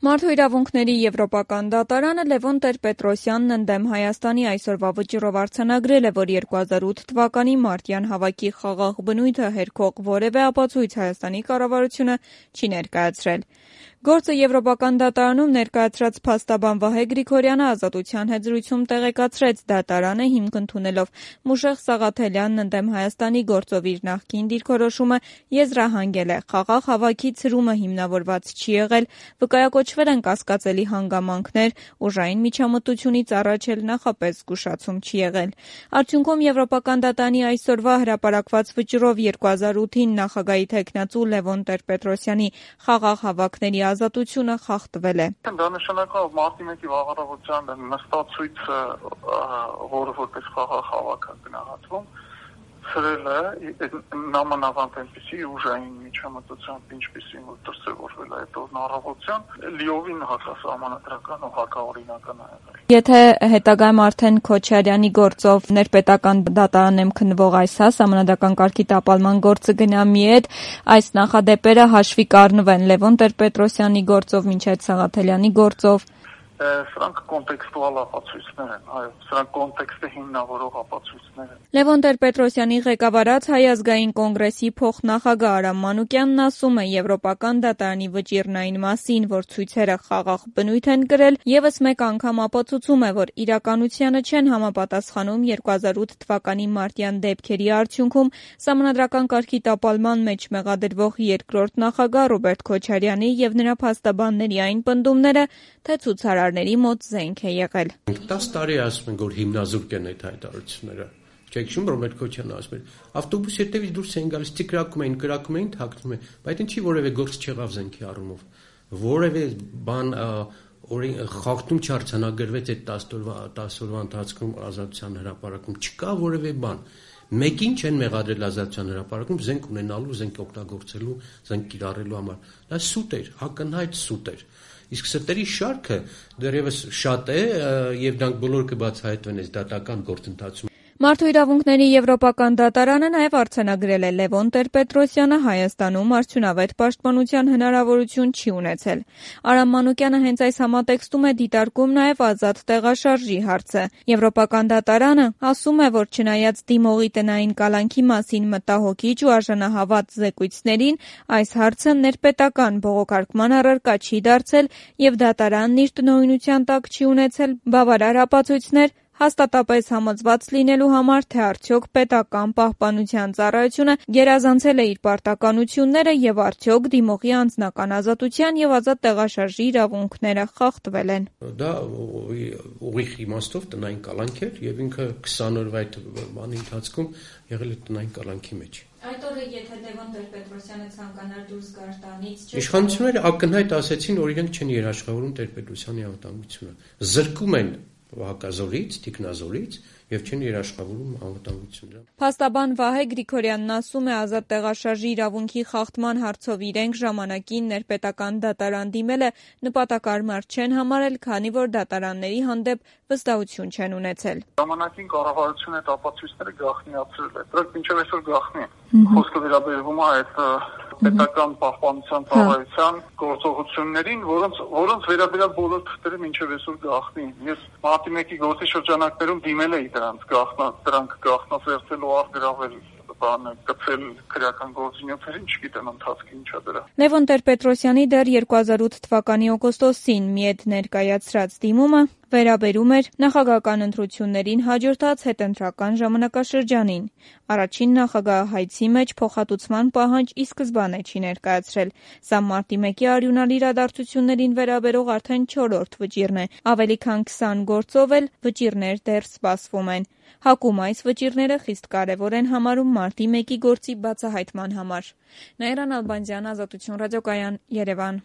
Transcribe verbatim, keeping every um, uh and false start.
Մարդու իրավունքների եվրոպական դատարանը Լևոն Տեր-Պետրոսյանն ընդդեմ Հայաստանի այսօրվա վճռով արձանագրել է, որ երկու հազար ութ թվականի մարտյան հավաքի խաղաղ բնույթը հերքող որևէ ապացույց Հայաստանի կառավարությունը չի ներկայացրել։ Գործը Եվրոպական դատարանում ներկայացրած փաստաբան Վահե Գրիգորյանը ազատության հետ զրույցում տեղեկացրեց, դատարանը հիմք ընդունելով Մուշեղ Սաղաթելյանն ընդդեմ Հայաստանի գործով իր նախկին դիրքորոշումը եզրահանգել է, խաղաղ հավաքի ցրումը հիմնավորված չի եղել, վկայակոչվել են կասկածելի հանգամանքներ, ուժային միջամտությունից առաջ էլ նախապես զգուշացում չի եղել։ Արդյունքում Եվրոպական դատարանի այսօրվա հրապարակված վճռով երկու հազար ութին նախագահի թեկնածու Լևոն Տեր-Պետրոսյանի խաղաղ հավաքների ազատությունը խախտվել է։ Դա նշանակում է մարտի մեկի վաղարավության նստացույցը, որը որպես խաղաղ հավաք է գնահատվում, ցրել է նամանավանդ այնպիսի ուժային միջամտությամբ, ինչպիսին որ դրսևորվել է այդ օրն առավոտյան, լիովին հակասահմանադրական ու հակաօրինական է եղել։ Եթե հետագայում արդեն Քոչարյանի գործով ներպետական դատարանեմ քննվող այս հա սահմանադրական կարգի տապալման գործը գնա մի հետ, այս նախադեպերը հաշվի կառնվեն Լևոն Տեր-Պետրոսյանի գործով մինչև Սաղաթելյանի գործով։ Սրանք կոնտեքստուալ ապացույցներ են, այո, սրանք կոնտեքստը հիմնավորող ապացույցներ են։ Լևոն Տեր-Պետրոսյանի ղեկավարած Հայ ազգային կոնգրեսի փոխնախագահ Արամ Մանուկյանն ասում է, Եվրոպական դատարանի վճիռն այն մասին, որ ցույցերը խաղաղ բնույթ են կրել, եւս մեկ անգամ ապացուցում է, որ իրականությանը չեն համապատասխանում երկու հազար ութ թվականի մարտյան դեպքերի արդյունքում սահմանադրական կարգի տապալման մեջ մեղադրվող երկրորդ նախագահ Ռոբերտ Քոչարյանի եւ նրա փաստաբանների այն պնդումները, թե ցուցարարների մոտ զենք է եղել։ տասը տարի ասում են, որ հիմնազուրկ են այդ հայտարարությունները։ Չեք հիշում, Ռոբերտ Քոչարյանը ասում էր, ավտոբուսի հետևից դուրս էին գալիս, տիկրակում էին, կրակում էին, թաքնում էին, բայց ինչի որևէ գործ չեղավ զենքի առումով։ Որևէ բան խախտում չարձանագրվեց այդ տասը օրվա ընթացքում ազատության հրապարակում, չկա որևէ բան։ Մեկին չեն մեղադրել ազատության հրապարակում զենք ունենալու, զենք օգտագործելու, զենք կիրառելու համար։ Դա սուտ էր, ակնհայտ սուտ էր։ Իսկ սրտերի շարքը դեռևս շատ է եւ դրանք բոլորը կբացահայտվեն այս դատական գործընթացում։ Մարդու իրավունքների եվրոպական դատարանը նաև արձանագրել է Լևոն Տեր-Պետրոսյանը Հայաստանում արդյունավետ պաշտպանության հնարավորություն չի ունեցել։ Արամ Մանուկյանը հենց այս համատեքստում է դիտարկում նաև ազատ տեղաշարժի հարցը։ Եվրոպական դատարանը ասում է, որ չնայած դիմողի տնային կալանքի մասին մտահոգիչ ու արժանահավատ զեկույցներին, այս հարցը ներպետական բողոքարկման առարկա չի դարձել եւ դատարանն իր տնօրինության տակ չի ունեցել բավարար ապացույցներ հաստատապես համոզված լինելու համար, թե արդյոք պետական պահպանության ծառայությունը գերազանցել է իր պարտականությունները եւ արդյոք դիմողի անձնական ազատության եւ ազատ տեղաշարժի իրավունքները խախտվել են։ Դա ուղիղ իմաստով տնային կալանք էր եւ ինքը քսան օրվա այդ բանի ընթացքում եղել է տնային կալանքի մեջ։ Այդ օրը եթե Լևոն Տեր-Պետրոսյանը ցանկանար դուրս գար տանից, իշխանությունները ակնհայտ ասեցին, որ իրենք չեն երաշխավորում Տեր-Պետրոսյանի անվտանգությունը։ Զրկում են հակազորից, տիկնազորից եւ չեն երաշխավորում անվտանգությունը։ Փաստաբան Վահե Գրիգորյանն ասում է, ազատ տեղաշարժի իրավունքի խախտման հարցով իրենք ժամանակին ներպետական դատարան դիմելը նպատակարար չեն համարել, քանի որ դատարանների հանդեպ վստահություն չեն ունեցել։ Ժամանակին կառավարությունը այդ ապացույցները գաղտնիացրել է։ Դրանք մինչև այսօր գաղտնի է։ Խոսքը վերաբերվում է այդ պետական պահպանության ծառայության գործողություններին, որոնց որոնց վերաբերյալ բոլոր թղթերը մինչև այսօր գաղտնի են։ Ես մարտի մեկի գործի շրջանակներում դիմել էի դրանց գաղտնա դրանք գաղտնացերծելու առգրավել բանը կցել քրեական գործունեություններին, չգիտեմ ընթացքի ինչա դրա։ Լևոն Տեր-Պետրոսյանի դեռ երկու հազար ութ թվականի օգոստոսին մի հետ ներկայացրած դիմումը վերաբերում էր նախագահական ընտրություններին հաջորդած հետընտրական ժամանակաշրջանին։ Առաջին նախագահահայցի մեջ փոխհատուցման պահանջ ի սկզբանե չի ներկայացրել։ Սա մարտի մեկի արյունալի իրադարձություններին վերաբերող արդեն չորրորդ վճիռն է։ Ավելի քան քսան գործով էլ վճիռներ դեռ սպասվում են։ ՀԱԿ-ում այս վճիռները խիստ կարևոր են համարում մարտի մեկի գործի բացահայտման համար։ Նաիրա Նալբանդյան, Ազատություն ռադիոկայան, Երևան։